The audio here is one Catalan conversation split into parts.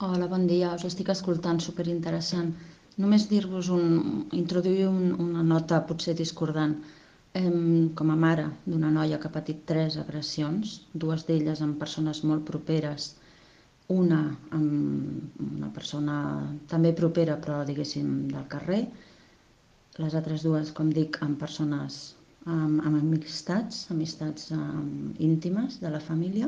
Hola, bon dia. Us estic escoltant, superinteressant. Només introduir una nota potser discordant. Com a mare d'una noia que ha patit 3 agressions, dues d'elles amb persones molt properes, una amb una persona també propera però diguéssim del carrer, les altres dues, com dic, amb persones amb amistats íntimes de la família.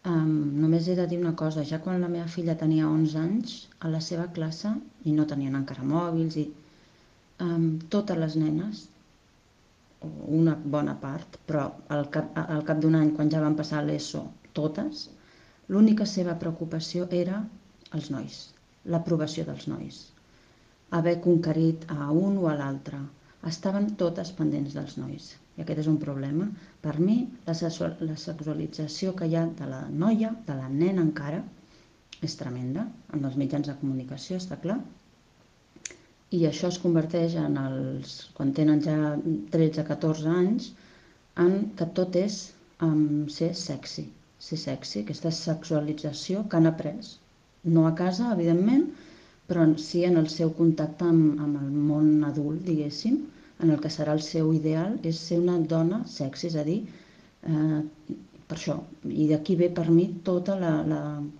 Només he de dir una cosa, ja quan la meva filla tenia 11 anys, a la seva classe, i no tenien encara mòbils, totes les nenes, o una bona part, però al cap d'un any, quan ja van passar l'ESO, totes, l'única seva preocupació era els nois, l'aprovació dels nois, haver conquerit a un o a l'altre. Estaven totes pendents dels nois. I aquest és un problema. Per mi, la sexualització que hi ha de la noia, de la nena encara, és tremenda. En els mitjans de comunicació, està clar. I això es converteix quan tenen ja 13-14 anys, en que tot és ser sexy. Ser sexy, aquesta sexualització que han après. No a casa, evidentment, però sí en el seu contacte amb el món adult, diguéssim, en el que serà el seu ideal, és ser una dona sexy, és a dir, per això. I d'aquí ve per mi tota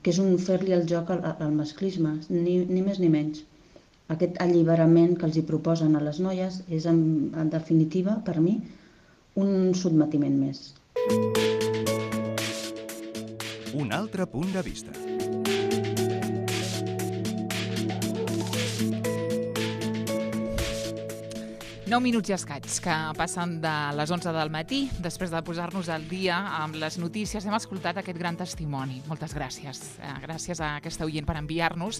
que és un fer-li el joc al masclisme, ni més ni menys. Aquest alliberament que els hi proposen a les noies és, en definitiva, per mi, un sotmetiment més. Un altre punt de vista. Nou minuts i escaig, que passen de les 11 del matí. Després de posar-nos al dia amb les notícies, hem escoltat aquest gran testimoni. Moltes gràcies. Gràcies a aquesta oient per enviar-nos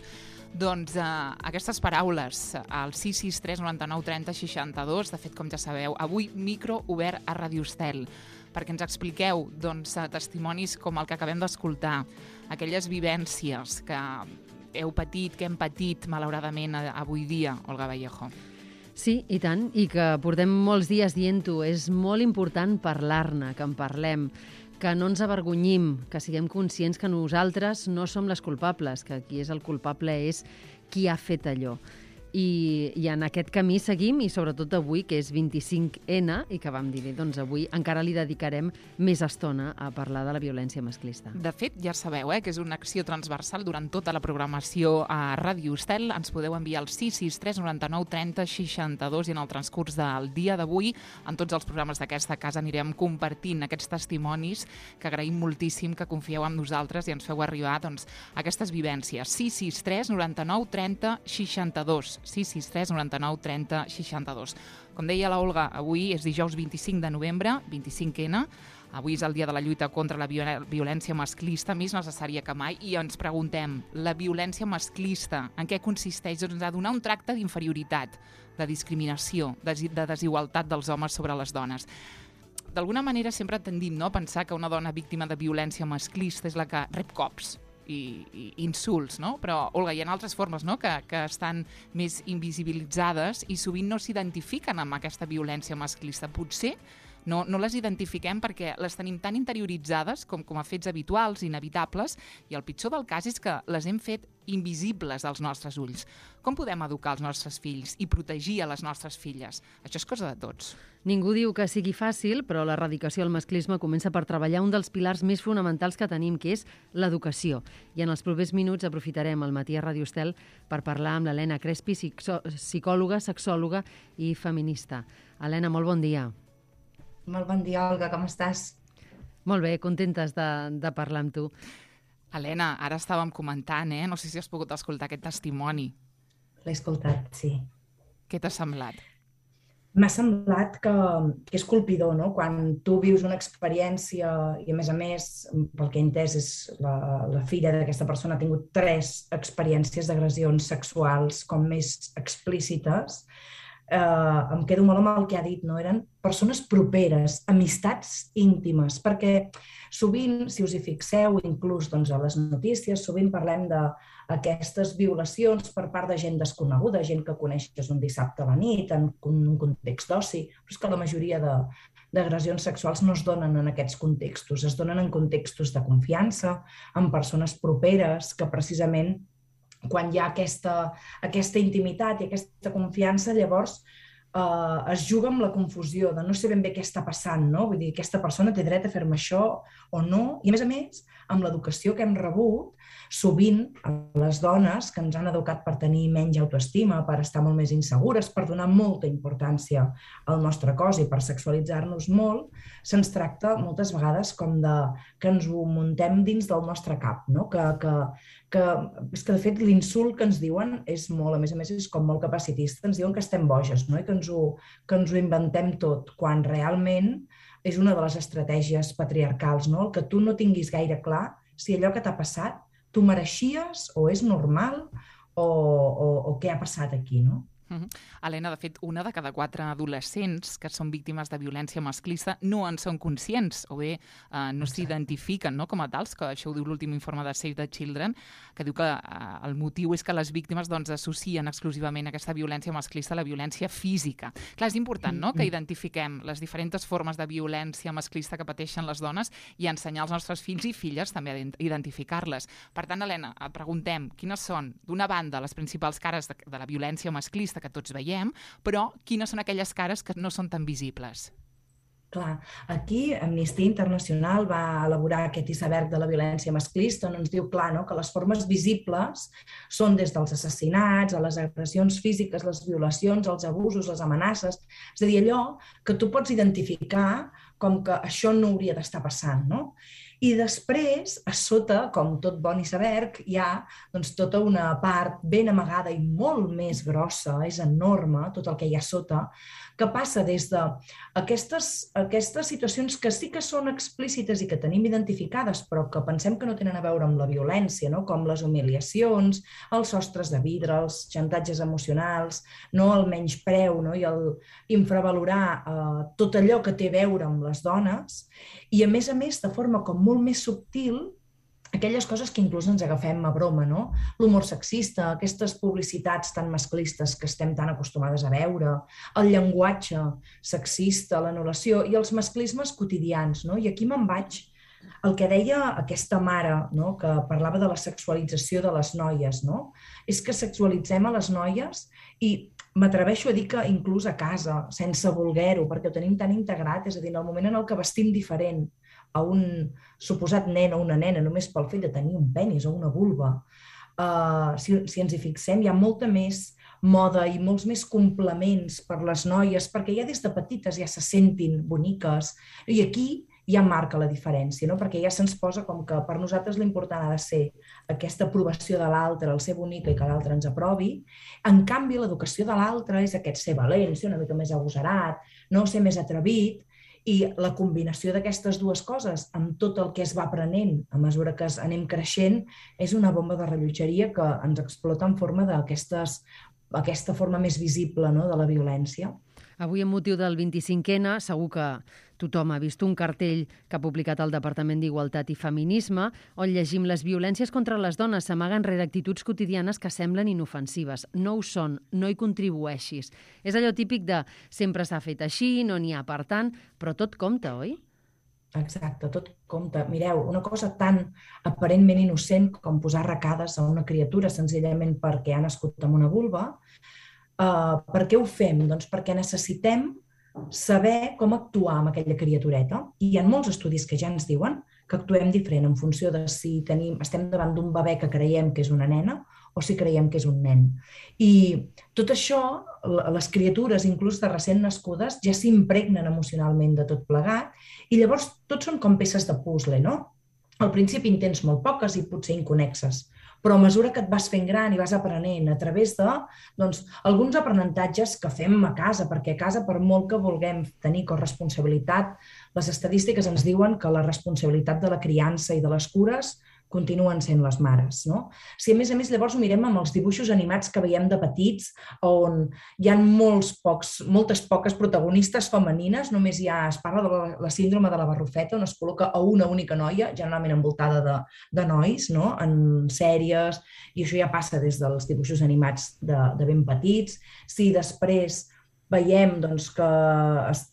aquestes paraules al 663 99 30 62. De fet, com ja sabeu, avui micro obert a Radio Estel, perquè ens expliqueu testimonis com el que acabem d'escoltar, aquelles vivències que heu patit, que hem patit, malauradament, avui dia, Olga Vallejo. Sí, i tant, i que portem molts dies dient-ho. És molt important parlar-ne, que en parlem, que no ens avergonyim, que siguem conscients que nosaltres no som les culpables, que qui és el culpable és qui ha fet allò. I en aquest camí seguim, i sobretot avui, que és 25N, i que vam dir, doncs avui encara li dedicarem més estona a parlar de la violència masclista. De fet, ja sabeu que és una acció transversal durant tota la programació a Ràdio Estel. Ens podeu enviar al 663 99 30 62 i en el transcurs del dia d'avui, en tots els programes d'aquesta casa, anirem compartint aquests testimonis que agraïm moltíssim que confieu en nosaltres i ens feu arribar aquestes vivències. 663 99 30 62. 663 99 30 62. Com deia la Olga, avui és dijous 25 de novembre, 25N. Avui és el dia de la lluita contra la violència masclista, més necessària que mai, i ens preguntem, la violència masclista, en què consisteix? Doncs a donar un tracte d'inferioritat, de discriminació, de desigualtat dels homes sobre les dones. D'alguna manera sempre tendim a pensar que una dona víctima de violència masclista és la que rep cops i insults, no? Però, Olga, hi ha altres formes, no?, que estan més invisibilitzades i sovint no s'identifiquen amb aquesta violència masclista. Potser no les identifiquem perquè les tenim tan interioritzades com a fets habituals, inevitables, i el pitjor del cas és que les hem fet invisibles als nostres ulls. Com podem educar els nostres fills i protegir a les nostres filles? Això és cosa de tots. Ningú diu que sigui fàcil, però l'erradicació del masclisme comença per treballar un dels pilars més fonamentals que tenim, que és l'educació. I en els propers minuts aprofitarem el matí a Radio Estel per parlar amb l'Helena Crespi, psicòloga, sexòloga i feminista. Helena, molt bon dia. Molt bon dia, Olga, com estàs? Molt bé, contentes de parlar amb tu. Helena, ara estàvem comentant, no sé si has pogut escoltar aquest testimoni. L'he escoltat, sí. Què t'ha semblat? M'ha semblat que és colpidor, no? Quan tu vius una experiència i, a més, pel que he entès, és la filla d'aquesta persona ha tingut 3 experiències d'agressions sexuals com més explícites, em quedo molt amb el que ha dit, no? Eren persones properes, amistats íntimes, perquè sovint, si us hi fixeu, inclús doncs, a les notícies, sovint parlem d'aquestes violacions per part de gent desconeguda, gent que coneixes un dissabte a la nit, en un context d'oci, però és que la majoria d'agressions sexuals no es donen en aquests contextos, es donen en contextos de confiança, en persones properes, que precisament quan hi ha aquesta intimitat i aquesta confiança, llavors es juga amb la confusió de no sé ben bé què està passant, no? Vull dir, aquesta persona té dret a fer-me això o no, i a més, amb l'educació que hem rebut, sovint les dones que ens han educat per tenir menys autoestima, per estar molt més insegures, per donar molta importància al nostre cos i per sexualitzar-nos molt, se'ns tracta moltes vegades com que ens ho muntem dins del nostre cap, no? És que de fet l'insult que ens diuen és molt, a més, és com molt capacitista, ens diuen que estem boges, no? I que ens ho inventem tot, quan realment és una de les estratègies patriarcals, no? El que tu no tinguis gaire clar si allò que t'ha passat tu mereixies o és normal o què ha passat aquí, no? Helena, de fet, una de cada 4 adolescents que són víctimes de violència masclista no en són conscients o bé no s'identifiquen com a tals, que això ho diu l'últim informe de Save the Children, que diu que el motiu és que les víctimes associen exclusivament aquesta violència masclista a la violència física. Clar, és important que identifiquem les diferents formes de violència masclista que pateixen les dones i ensenyar als nostres fills i filles també a identificar-les. Per tant, Helena, preguntem quines són, d'una banda, les principals cares de la violència masclista que tots veiem, però quines són aquelles cares que no són tan visibles? Clar, aquí Amnistia Internacional va elaborar aquest iceberg de la violència masclista on ens diu clar que les formes visibles són des dels assassinats, a les agressions físiques, les violacions, els abusos, les amenaces, és a dir, allò que tu pots identificar com que això no hauria d'estar passant, no? I després, a sota, com tot bon iceberg, hi ha tota una part ben amagada i molt més grossa, és enorme tot el que hi ha sota, que passa des d'aquestes situacions que sí que són explícites i que tenim identificades, però que pensem que no tenen a veure amb la violència, com les humiliacions, els sostres de vidre, els xantatges emocionals, el menyspreu i el infravalorar tot allò que té a veure amb les dones, i a més, de forma com molt més subtil, aquelles coses que inclús ens agafem a broma, l'humor sexista, aquestes publicitats tan masclistes que estem tan acostumades a veure, el llenguatge sexista, l'anul·lació i els masclismes quotidians. I aquí me'n vaig al que deia aquesta mare, que parlava de la sexualització de les noies. És que sexualitzem a les noies i m'atreveixo a dir que inclús a casa, sense voler-ho, perquè ho tenim tan integrat, és a dir, en el moment en el que vestim diferent a un suposat nen o una nena només pel fet de tenir un penis o una vulva, si ens hi fixem, hi ha molta més moda i molts més complements per les noies, perquè ja des de petites ja se sentin boniques, i aquí ja marca la diferència, perquè ja se'ns posa com que per nosaltres l'important ha de ser aquesta aprovació de l'altre, el ser bonica i que l'altre ens aprovi. En canvi, l'educació de l'altre és aquest ser valent, ser una mica més agosarat, ser més atrevit, i la combinació d'aquestes dues coses amb tot el que es va aprenent a mesura que anem creixent és una bomba de rellotgeria que ens explota en forma d'aquesta forma més visible de la violència. Avui, amb motiu del 25N, segur que tothom ha vist un cartell que ha publicat el Departament d'Igualtat i Feminisme, on llegim: les violències contra les dones s'amaguen rere actituds quotidianes que semblen inofensives. No ho són, no hi contribueixis. És allò típic de sempre s'ha fet així, no n'hi ha per tant, però tot compta, oi? Exacte, tot compta. Mireu, una cosa tan aparentment innocent com posar arracades a una criatura senzillament perquè ha nascut amb una vulva. Per què ho fem? Doncs perquè necessitem saber com actuar amb aquella criatureta. I hi ha molts estudis que ja ens diuen que actuem diferent en funció de si estem davant d'un bebè que creiem que és una nena o si creiem que és un nen. I tot això, les criatures, inclús de recent nascudes, ja s'impregnen emocionalment de tot plegat i llavors tots són com peces de puzzle, no? Al principi en tens molt poques i potser inconnexes, però a mesura que et vas fent gran i vas aprenent a través de alguns aprenentatges que fem a casa, perquè a casa, per molt que vulguem tenir corresponsabilitat, les estadístiques ens diuen que la responsabilitat de la criança i de les cures continuen sent les mares, no? Si a més llavors ho mirem amb els dibuixos animats que veiem de petits, on hi ha moltes poques protagonistes femenines, només es parla de la síndrome de la Barrufeta, on es col·loca a una única noia, generalment envoltada de nois, no? En sèries, i això ja passa des dels dibuixos animats de ben petits. Si després veiem que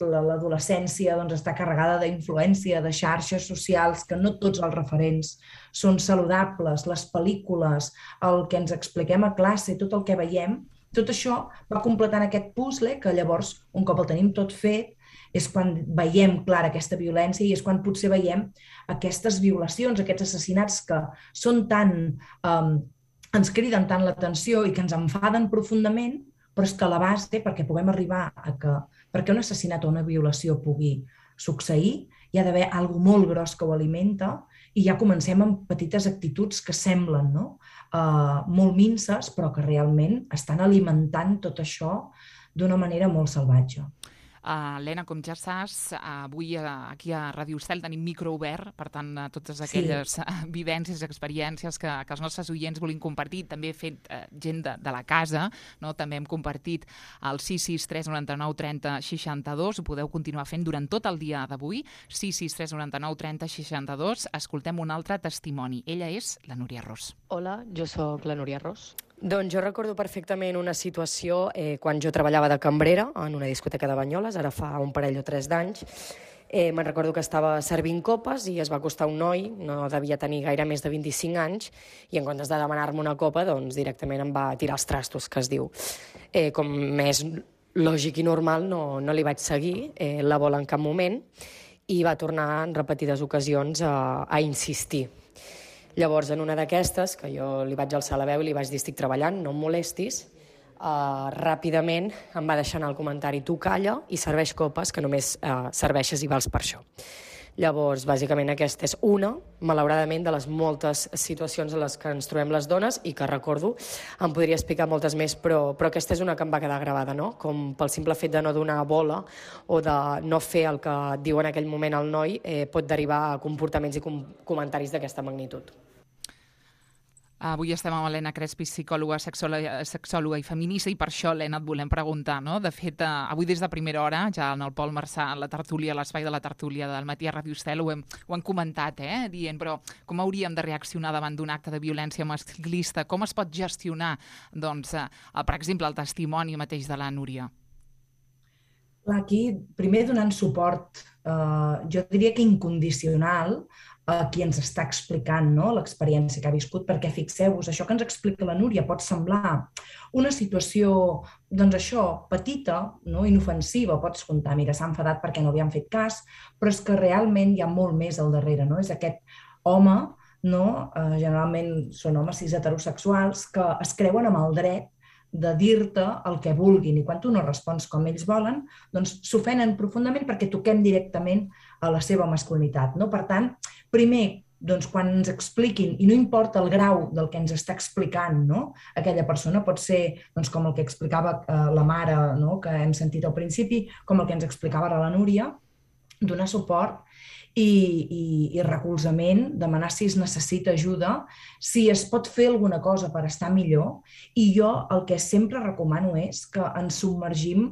l'adolescència està carregada d'influència, de xarxes socials, que no tots els referents són saludables, les pel·lícules, el que ens expliquem a classe, tot el que veiem, tot això va completant aquest puzzle que llavors, un cop el tenim tot fet, és quan veiem clara aquesta violència i és quan potser veiem aquestes violacions, aquests assassinats que són ens criden tant l'atenció i que ens enfaden profundament, però és que a la base, perquè puguem arribar perquè un assassinat o una violació pugui succeir, hi ha d'haver alguna cosa molt gros que ho alimenta i ja comencem amb petites actituds que semblen molt minces, però que realment estan alimentant tot això d'una manera molt salvatge. Helena, com ja saps, avui aquí a Ràdio Estel tenim micro obert, per tant, totes aquelles vivències, experiències que els nostres oients vulguin compartir. També he fet gent de la casa, també hem compartit el 663 99 30 62, ho podeu continuar fent durant tot el dia d'avui, 663 99 30 62. Escoltem un altre testimoni. Ella és la Núria Ros. Hola, jo sóc la Núria Ros. Doncs jo recordo perfectament una situació quan jo treballava de cambrera en una discoteca de Banyoles, ara fa un parell o 3 d'anys. Me'n recordo que estava servint copes i es va acostar un noi, no devia tenir gaire més de 25 anys, i en comptes de demanar-me una copa, doncs directament em va tirar els trastos, que es diu. Com més lògic i normal, no li vaig seguir la bola en cap moment i va tornar en repetides ocasions a insistir. Llavors, en una d'aquestes, que jo li vaig alçar la veu i li vaig dir estic treballant, no em molestis, ràpidament em va deixar anar el comentari tu calla i serveix copes, que només serveixes i vals per això. Llavors, bàsicament, aquesta és una, malauradament, de les moltes situacions en les que ens trobem les dones i que recordo, em podria explicar moltes més, però aquesta és una que em va quedar gravada, no? Com pel simple fet de no donar bola o de no fer el que diu en aquell moment el noi pot derivar a comportaments i comentaris d'aquesta magnitud. Avui estem amb Helena Crespi, psicòloga, sexòloga i feminista, i per això, Helena, et volem preguntar, no? De fet, avui des de primera hora, ja en el Pol Marçà, a la tertúlia, a l'espai de la tertúlia del matí a Ràdio Estel, ho hem comentat, dient, però com hauríem de reaccionar davant d'un acte de violència masclista? Com es pot gestionar, doncs, per exemple, el testimoni mateix de la Núria? Aquí, primer donant suport, jo diria que incondicional, a qui ens està explicant l'experiència que ha viscut, perquè fixeu-vos, això que ens explica la Núria pot semblar una situació, doncs això, petita, inofensiva, pots contar, mira, s'ha enfadat perquè no li han fet cas, però és que realment hi ha molt més al darrere, és aquest home, generalment són homes cis heterosexuals, que es creuen amb el dret de dir-te el que vulguin, i quan tu no respons com ells volen, doncs s'ofenen profundament perquè toquem directament a la seva masculinitat. Per tant, primer, quan ens expliquin, i no importa el grau del que ens està explicant aquella persona, pot ser com el que explicava la mare, que hem sentit al principi, com el que ens explicava ara la Núria, donar suport i recolzament, demanar si es necessita ajuda, si es pot fer alguna cosa per estar millor, i jo el que sempre recomano és que ens submergim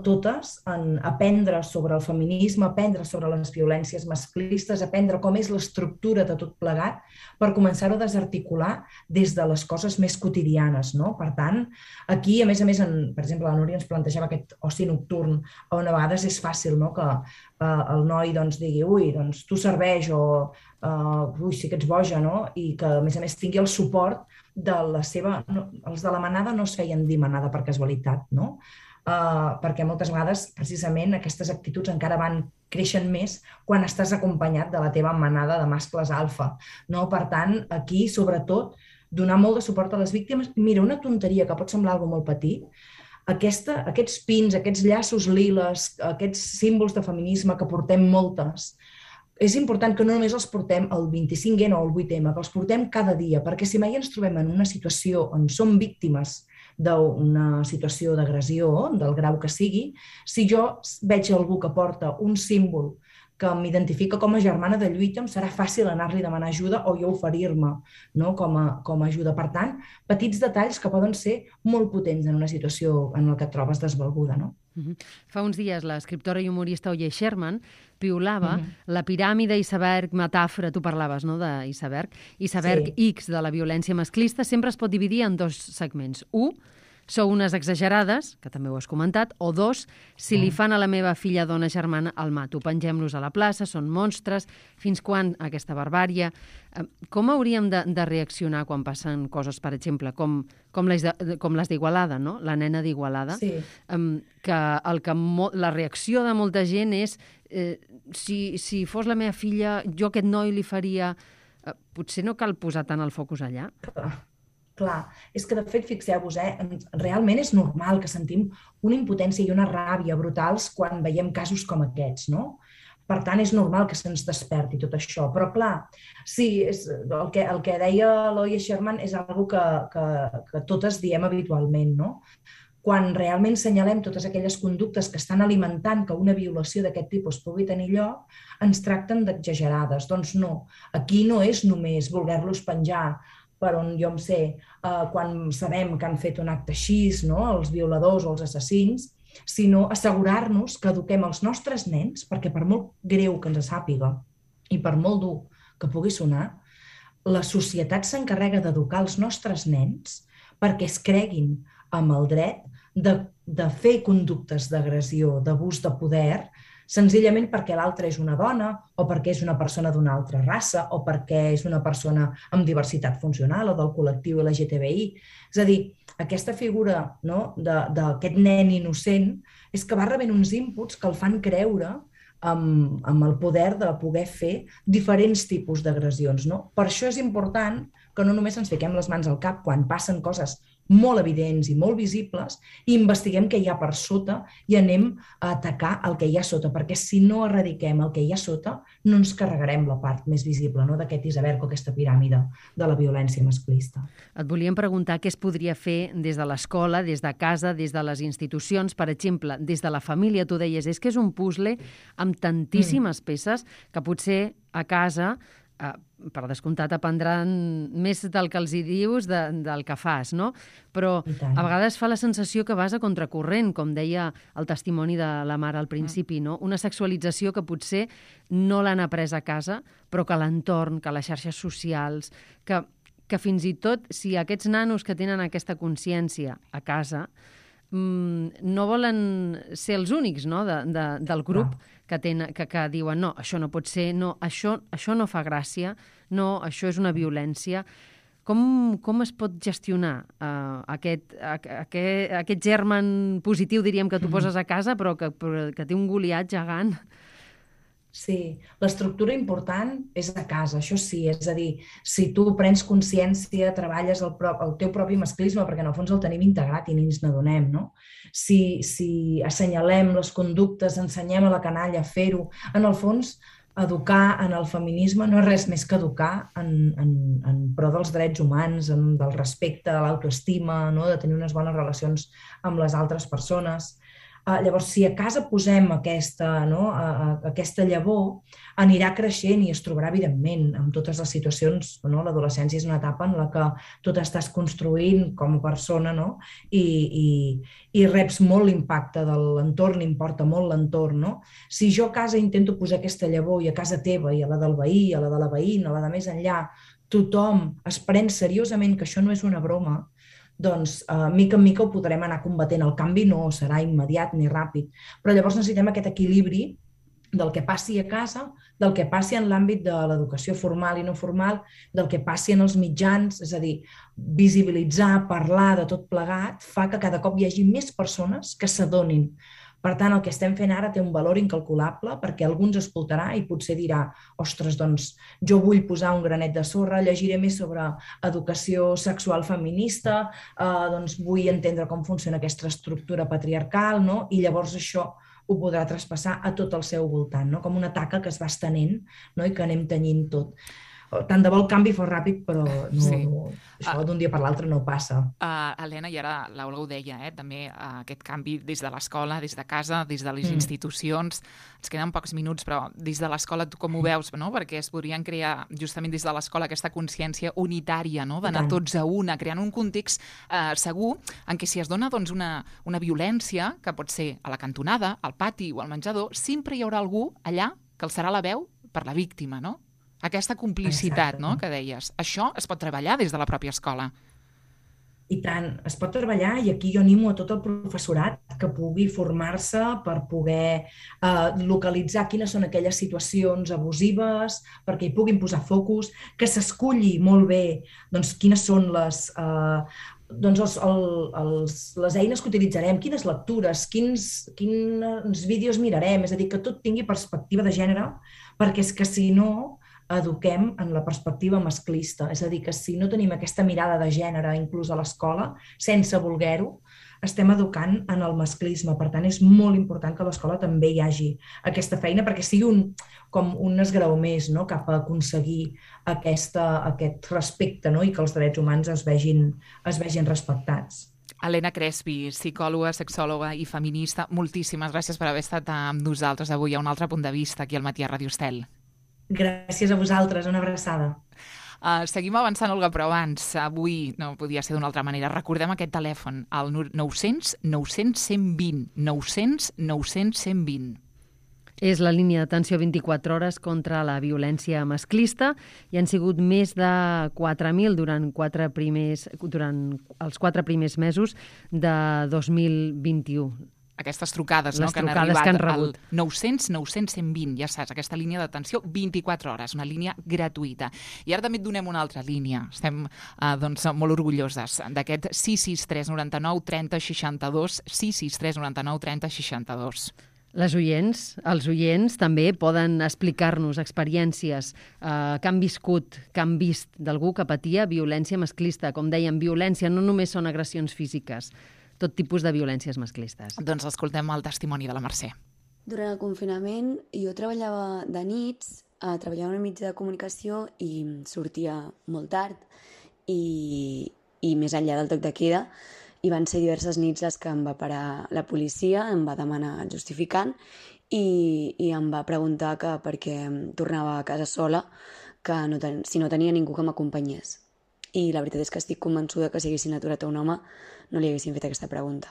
totes en aprendre sobre el feminisme, aprendre sobre les violències masclistes, aprendre com és l'estructura de tot plegat per començar-ho a desarticular des de les coses més quotidianes. Per tant, aquí, a més, per exemple, la Núria ens plantejava aquest oci nocturn, on a vegades és fàcil que el noi digui ui, tu serveix, o ui, sí que ets boja, i que, a més, tingui el suport de la seva... Els de la manada no es feien dir manada per casualitat, perquè moltes vegades, precisament, aquestes actituds encara creixen més quan estàs acompanyat de la teva manada de mascles alfa. Per tant, aquí, sobretot, donar molt de suport a les víctimes. Mira, una tonteria que pot semblar alguna molt petit, aquests pins, aquests llaços liles, aquests símbols de feminisme que portem moltes, és important que no només els portem el 25N o el 8M, que els portem cada dia, perquè si mai ens trobem en una situació on som víctimes d'una situació d'agressió, del grau que sigui, si jo veig algú que porta un símbol que m'identifica com a germana de lluita, em serà fàcil anar-li a demanar ajuda o jo oferir-me, no? com a ajuda. Per tant, petits detalls que poden ser molt potents en una situació en la que et trobes desvalguda. No? Fa uns dies l'escriptora i humorista Oye Sherman piulava la piràmide iceberg metàfora, tu parlaves, no?, d'iceberg. Iceberg X de la violència masclista sempre es pot dividir en dos segments. 1, sou unes exagerades, que també ho has comentat, o 2, si li fan a la meva filla, dona, germana, el mato. Pengem-los a la plaça, són monstres, fins quan aquesta barbària? Com hauríem de reaccionar quan passen coses, per exemple, com les d'Igualada, no? La nena d'Igualada, que la reacció de molta gent és si fos la meva filla, jo a aquest noi li faria... Potser no cal posar tant el focus allà? Clar, és que de fet, fixeu-vos, realment és normal que sentim una impotència i una ràbia brutals quan veiem casos com aquests, no? Per tant, és normal que se'ns desperti tot això. Però clar, sí, el que deia l'Oye Sherman és una cosa que totes diem habitualment, no? Quan realment senyalem totes aquelles conductes que estan alimentant que una violació d'aquest tipus pugui tenir lloc, ens tracten d'exagerades. Doncs no, aquí no és només voler-los penjar per on jo em sé, quan sabem que han fet un acte així, no? Els violadors o els assassins, sinó assegurar-nos que eduquem els nostres nens, perquè per molt greu que ens sàpiga i per molt dur que pugui sonar, la societat s'encarrega d'educar els nostres nens perquè es creguin amb el dret de fer conductes d'agressió, d'abús de poder, senzillament perquè l'altra és una dona o perquè és una persona d'una altra raça o perquè és una persona amb diversitat funcional o del col·lectiu LGTBI. És a dir, aquesta figura, no, d'aquest nen innocent és que va rebent uns inputs que el fan creure amb el poder de poder fer diferents tipus d'agressions. No? Per això és important que no només ens fiquem les mans al cap quan passen coses molt evidents i molt visibles i investiguem què hi ha per sota i anem a atacar el que hi ha sota, perquè si no erradiquem el que hi ha sota no ens carregarem la part més visible, no, d'aquest iceberg o aquesta piràmide de la violència masclista. Et volíem preguntar què es podria fer des de l'escola, des de casa, des de les institucions, per exemple, des de la família. Tu deies, és que és un puzzle amb tantíssimes peces que potser a casa per descomptat aprendran més del que els hi dius del que fas, no? Però a vegades fa la sensació que vas a contracorrent, com deia el testimoni de la mare al principi, no? Una sexualització que potser no l'han après a casa, però que l'entorn, que les xarxes socials, que fins i tot si aquests nanos que tenen aquesta consciència a casa no volen ser els únics, no? Del grup que diuen no, això no pot ser, no, això no fa gràcia, no, això és una violència. Com es pot gestionar aquest germen positiu, diríem, que tu poses a casa, però que té un Goliat gegant? Sí, l'estructura important és a casa, això sí, és a dir, si tu prens consciència, treballes el teu propi masclisme, perquè en el fons el tenim integrat i ni ens n'adonem, no? Si assenyalem les conductes, ensenyem a la canalla a fer-ho, en el fons, educar en el feminisme no és res més que educar en pro dels drets humans, del respecte, de l'autoestima, no? De tenir unes bones relacions amb les altres persones. Llavors, si a casa posem aquesta llavor, anirà creixent i es trobarà, evidentment, amb totes les situacions. L'adolescència és una etapa en la que tu t'estàs construint com a persona, no? I reps molt l'impacte de l'entorn, importa molt l'entorn. No? Si jo a casa intento posar aquesta llavor i a casa teva i a la del veí, a la de la veïna, a la de més enllà, tothom es pren seriosament que això no és una broma, doncs mica en mica ho podrem anar combatent. El canvi no serà immediat ni ràpid, però llavors necessitem aquest equilibri del que passi a casa, del que passi en l'àmbit de l'educació formal i no formal, del que passi en els mitjans, és a dir, visibilitzar, parlar de tot plegat, fa que cada cop hi hagi més persones que s'adonin. Per tant, el que estem fent ara té un valor incalculable perquè algú ens escoltarà i potser dirà ostres, doncs jo vull posar un granet de sorra, llegiré més sobre educació sexual feminista, doncs vull entendre com funciona aquesta estructura patriarcal, no? I llavors això ho podrà traspassar a tot el seu voltant, no? Com una taca que es va estenent, no? I que anem tenyint tot. Tant de bo el canvi fos ràpid, però no... Sí. Això d'un dia per l'altre no passa. Helena, i ara l'Olga ho deia, també aquest canvi des de l'escola, des de casa, des de les institucions. Ens queden pocs minuts, però des de l'escola tu com ho veus? No? Perquè es podrien crear justament des de l'escola aquesta consciència unitària, no? D'anar tots a una, creant un context segur en què si es dona doncs, una violència, que pot ser a la cantonada, al pati o al menjador, sempre hi haurà algú allà que alçarà la veu per la víctima, no? Aquesta complicitat, no?, que deies. Això es pot treballar des de la pròpia escola. I tant, es pot treballar, i aquí jo animo a tot el professorat que pugui formar-se per poder localitzar quines són aquelles situacions abusives, perquè hi puguin posar focus, que s'esculli molt bé doncs, quines són les eines que utilitzarem, quines lectures, quins vídeos mirarem, és a dir, que tot tingui perspectiva de gènere, perquè és que si no eduquem en la perspectiva masclista, és a dir, que si no tenim aquesta mirada de gènere inclús a l'escola, sense voler-ho, estem educant en el masclisme. Per tant, és molt important que a l'escola també hi hagi aquesta feina perquè sigui com un esgraó més, no?, cap a aconseguir aquest respecte, no?, i que els drets humans es vegin respectats. Helena Crespi, psicòloga, sexòloga i feminista, moltíssimes gràcies per haver estat amb nosaltres avui a Un altre punt de vista aquí al Matí a Ràdio Estel. Gràcies a vosaltres, una abraçada. Seguim avançant, Olga, però abans, avui no podia ser d'una altra manera. Recordem aquest telèfon, el 900 900 120, 900 900 120. És la línia d'atenció 24 hores contra la violència masclista i han sigut més de 4.000 durant els 4 primers mesos de 2021. Aquestes trucades, no, que han arribat al 900 900 120, ja saps, aquesta línia d'atenció 24 hores, una línia gratuïta. I ara també et donem una altra línia. Estem doncs, molt orgulloses d'aquest 663 99 30 62, 663 99 30 62. Els oients també poden explicar-nos experiències que han viscut, que han vist d'algú que patia violència masclista. Com dèiem, violència no només són agressions físiques, tot tipus de violències masclistes. Doncs escoltem el testimoni de la Mercè. Durant el confinament jo treballava de nits, treballava en un mitjà de comunicació i sortia molt tard i més enllà del toc de queda, i van ser diverses nits les que em va parar la policia, em va demanar justificant i em va preguntar que per què tornava a casa sola, que si no tenia ningú que m'acompanyés. I la veritat és que estic convençuda que si haguessin aturat a un home no li haguessin fet aquesta pregunta.